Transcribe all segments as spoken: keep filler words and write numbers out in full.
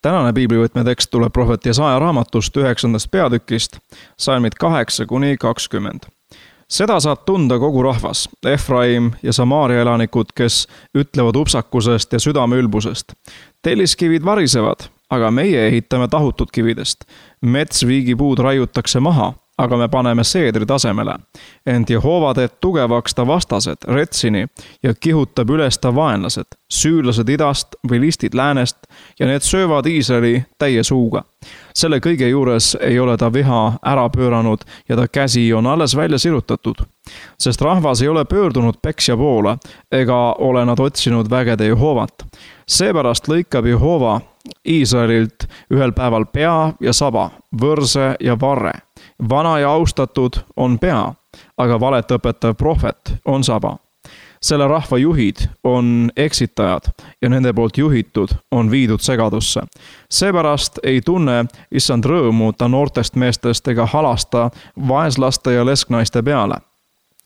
Tänane piiblivõtme tekst tuleb prohvet Jesaja raamatust üheksandast peatükist, salmid kaheksa kuni kakskümmend. Seda saab tunda kogu rahvas, Efraim ja Samaaria elanikud, kes ütlevad upsakusest ja südameülbusest. Telliskivid varisevad, aga meie ehitame tahutud kividest. Metsviigipuud raiutakse maha, aga me paneme seedri tasemele. Ent Jehova teeb tugevaks ta vastased, Retsini, ja kihutab üles ta vaenlased, süürlased idast või listid läänest, ja need söövad Iisraeli täie suuga. Selle kõige juures ei ole ta viha ära pööranud ja ta käsi on alles välja sirutatud. Sest rahvas ei ole pöördunud peksja poole, ega ole nad otsinud vägede Jehovat. Seepärast lõikab Jehova Iisraelilt ühel päeval pea ja saba, võrse ja varre. Vana ja austatud on pea, aga valet õpetav prohvet on saba. Selle rahva juhid on eksitajad ja nende poolt juhitud on viidud segadusse. Seepärast ei tunne issand rõõmu ta noortest meestest ega halasta vaeslaste ja lesknaiste peale.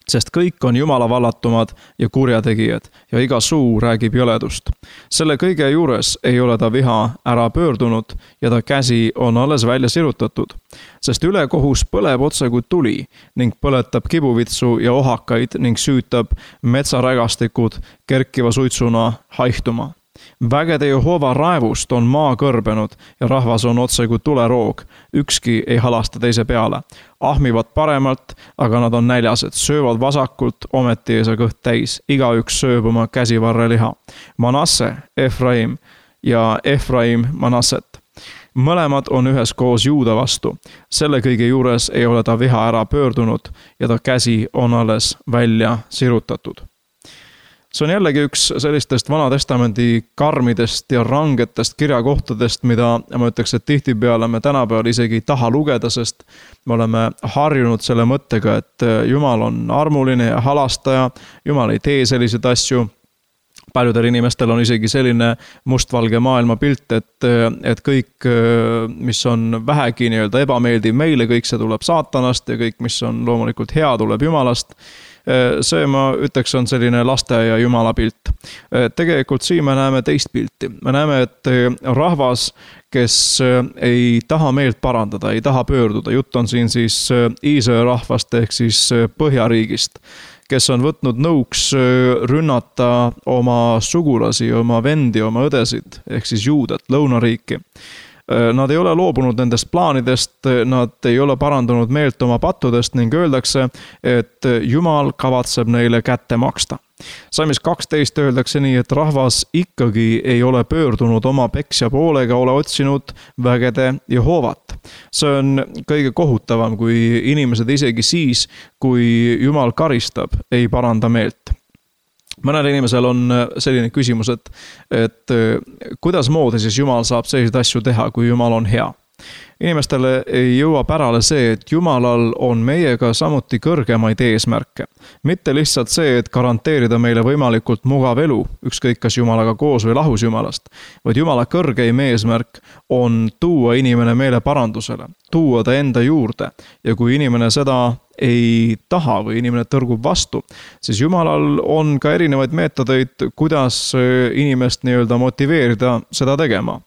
Sest kõik on Jumala vallatumad ja kurjategijad ja iga suu räägib jõledust. Selle kõige juures ei ole ta viha ära pöördunud ja ta käsi on alles välja sirutatud. Sest ülekohus põleb otse kui tuli ning põletab kibuvitsu ja ohakaid ning süütab metsarägastikud kerkiva suitsuna haihtuma. Vägede Jehova raevust on maa kõrbenud ja rahvas on otse kui tuleroog. Ükski ei halasta teise peale. Ahmivad paremalt, aga nad on näljased. Söövad vasakult, ometi ei saa kõht täis. Igaüks sööb oma käsivarre liha. Manasse, Efraim ja Efraim Manasset. Mõlemad on üheskoos Juuda vastu. Selle kõige juures ei ole ta viha ära pöördunud ja ta käsi on alles välja sirutatud. See on jällegi üks sellistest Vana Testamendi karmidest ja rangetest kirjakohtadest, mida ma ütleks, et tihtipeale me tänapäeval isegi ei taha lugeda, sest me oleme harjunud selle mõttega, et Jumal on armuline ja halastaja, Jumal ei tee selliseid asju. Paljudel inimestel on isegi selline mustvalge maailma pilt, et, et kõik, mis on vähegi nii-öelda ebameeldiv meile, kõik see tuleb saatanast ja kõik, mis on loomulikult hea, tuleb Jumalast. See, ma ütleks, on selline laste ja Jumala pilt. Tegelikult siin me näeme teist pilti. Me näeme, et rahvas, kes ei taha meelt parandada, ei taha pöörduda. Jutt on siin siis Iisraeli rahvast ehk siis Põhjariigist, kes on võtnud nõuks rünnata oma sugulasi, oma vendi, oma õdesid ehk siis Juudat, lõunariiki. Nad ei ole loobunud nendest plaanidest, nad ei ole parandanud meelt oma pattudest ning öeldakse, et Jumal kavatseb neile kätte maksta. Salmis kaksteist öeldakse nii, et rahvas ikkagi ei ole pöördunud oma peksja poole ega ole otsinud vägede Jehovat. See on kõige kohutavam, kui inimesed isegi siis, kui Jumal karistab, ei paranda meelt. Mõnel inimesel on selline küsimus, et, et kuidas moodi siis Jumal saab selliseid asju teha, kui Jumal on hea. Inimestele ei jõua pärale see, et Jumalal on meiega samuti kõrgemaid eesmärke. Mitte lihtsalt see, et garanteerida meile võimalikult mugav elu, ükskõik kas Jumalaga koos või lahus Jumalast, vaid Jumala kõrgeim eesmärk on tuua inimene meele parandusele, tuua ta enda juurde ja kui inimene seda ei taha või inimene tõrgub vastu, siis Jumalal on ka erinevaid meetodeid, kuidas inimest nii-öelda motiveerida seda tegema.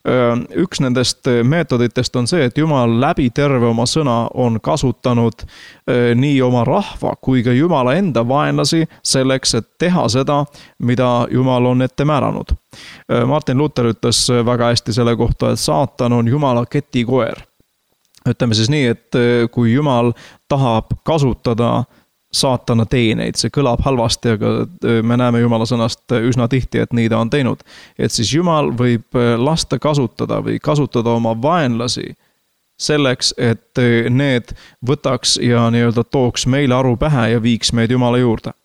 Üks nendest meetoditest on see, et Jumal läbi terve oma sõna on kasutanud nii oma rahva kui ka Jumala enda vaenlasi selleks, et teha seda, mida Jumal on ette määranud. Martin Luther ütles väga hästi selle kohta, et saatan on Jumala ketikoer. Ütleme siis nii, et kui Jumal tahab kasutada saatana teeneid, see kõlab halvasti, aga me näeme Jumala sõnast üsna tihti, et nii ta on teinud. Et siis Jumal võib lasta kasutada või kasutada oma vaenlasi selleks, et need võtaks ja nii-öelda tooks meile aru pähe ja viiks meid Jumala juurde.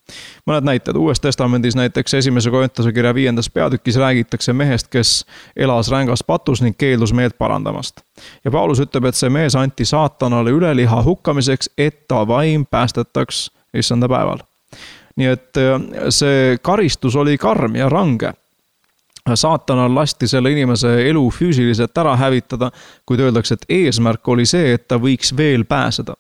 Mõned näited. Uues testamendis näiteks esimese Korintuse kirja viiendas peatükis räägitakse mehest, kes elas rängas patus ning keeldus meelt parandamast. Ja Paulus ütleb, et see mees anti saatanale üleliha hukkamiseks, et ta vaim päästetaks issanda päeval. Nii et see karistus oli karm ja range. Saatanal lasti selle inimese elu füüsiliselt ära hävitada, kuid öeldakse, et eesmärk oli see, et ta võiks veel pääseda.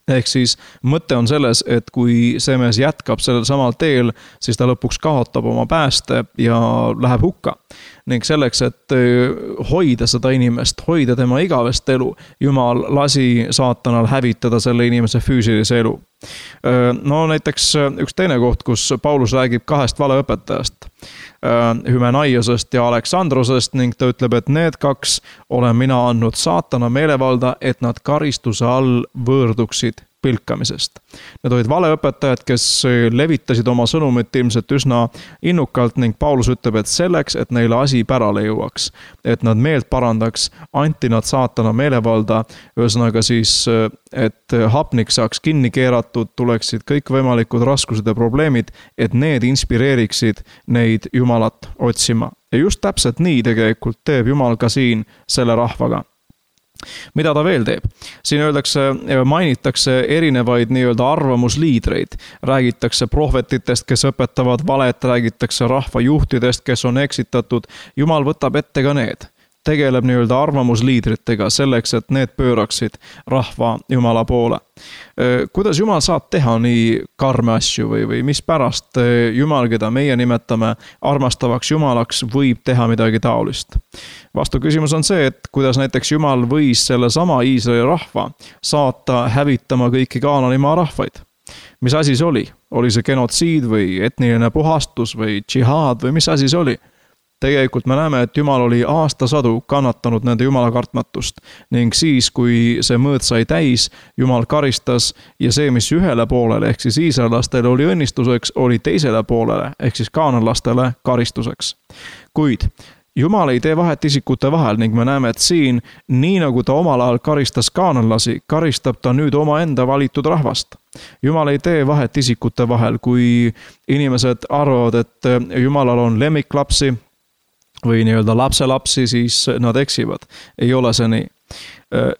Ehk siis mõte on selles, et kui see mees jätkab sellel samal teel, siis ta lõpuks kaotab oma pääste ja läheb hukka. Ning selleks, et hoida seda inimest, hoida tema igavest elu, Jumal lasi saatanal hävitada selle inimese füüsilise elu. No näiteks üks teine koht, kus Paulus räägib kahest valeõpetajast, Hymenaiosest ja Aleksandrosest ning ta ütleb, et need kaks olen mina andnud saatana meelevalda, et nad karistuse all võõrduksid pilkamisest. Need olid valeõpetajad, kes levitasid oma sõnumit ilmselt üsna innukalt ning Paulus ütleb, et selleks, et neile asi pärale jõuaks, et nad meelt parandaks, anti nad saatana meelevalda, ühesõnaga siis, et hapnik saaks kinni keeratud, tuleksid kõik võimalikud raskused ja probleemid, et need inspireeriksid neid Jumalat otsima. Ja just täpselt nii tegelikult teeb Jumal ka siin selle rahvaga. Mida ta veel teeb? Siin öeldakse, mainitakse erinevaid nii-öelda arvamusliidreid. Räägitakse prohvetitest, kes õpetavad valet, räägitakse rahvajuhtidest, kes on eksitatud. Jumal võtab ette ka need. Tegeleb nii-öelda arvamusliidritega selleks, et need pööraksid rahva Jumala poole. Kuidas Jumal saab teha nii karme asju või, või mis pärast Jumal, keda meie nimetame armastavaks Jumalaks, võib teha midagi taolist? Vastu küsimus on see, et kuidas näiteks Jumal võis selle sama Iisraeli rahva saata hävitama kõiki Kaananimaa rahvaid. Mis asi see oli? Oli see genotsiid või etniline puhastus või džihaad või mis asi see oli? Tegelikult me näeme, et Jumal oli aastasadu kannatanud nende Jumala kartmatust ning siis, kui see mõõt sai täis, Jumal karistas ja see, mis ühele poolele ehk siis iisraellastele oli õnnistuseks, oli teisele poolele ehk siis kaananlastele karistuseks. Kuid Jumal ei tee vahet isikute vahel ning me näeme, et siin, nii nagu ta omal ajal karistas kaananlasi, karistab ta nüüd oma enda valitud rahvast. Jumal ei tee vahet isikute vahel, kui inimesed arvavad, et Jumalal on lemmiklapsi või nii-öelda lapselapsi, siis nad eksivad. Ei ole see nii.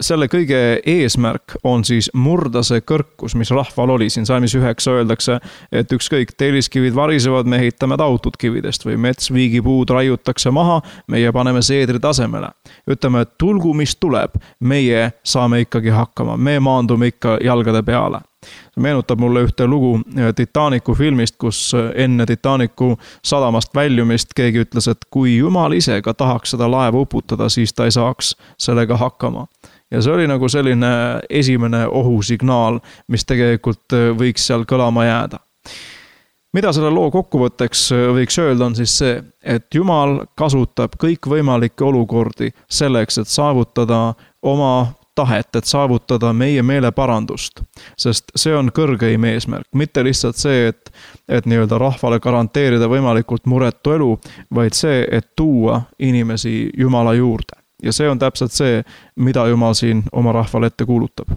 Selle kõige eesmärk on siis murda see kõrkus, mis rahval oli. Siin salmis üheksa öeldakse, et ükskõik telliskivid varisevad, me ehitame tautud kividest või metsviigipuud raiutakse maha, meie paneme seedri tasemele. Ütleme, et tulgu mis tuleb, meie saame ikkagi hakkama, me maandume ikka jalgade peale. See meenutab mulle ühte lugu Titanicu filmist, kus enne Titanicu sadamast väljumist keegi ütles, et kui Jumal ise ka tahaks seda laeva uputada, siis ta ei saaks sellega hakkama. Ja see oli nagu selline esimene ohusignaal, mis tegelikult võiks seal kõlama jääda. Mida selle loo kokkuvõtteks võiks öelda on siis see, et Jumal kasutab kõik võimalikke olukordi selleks, et saavutada oma tahet, et saavutada meie meeleparandust, sest see on kõrgeim eesmärk. Mitte lihtsalt see, et, et nii-öelda rahvale garanteerida võimalikult muretu elu, vaid see, et tuua inimesi Jumala juurde. Ja see on täpselt see, mida Jumal siin oma rahvale ette kuulutab.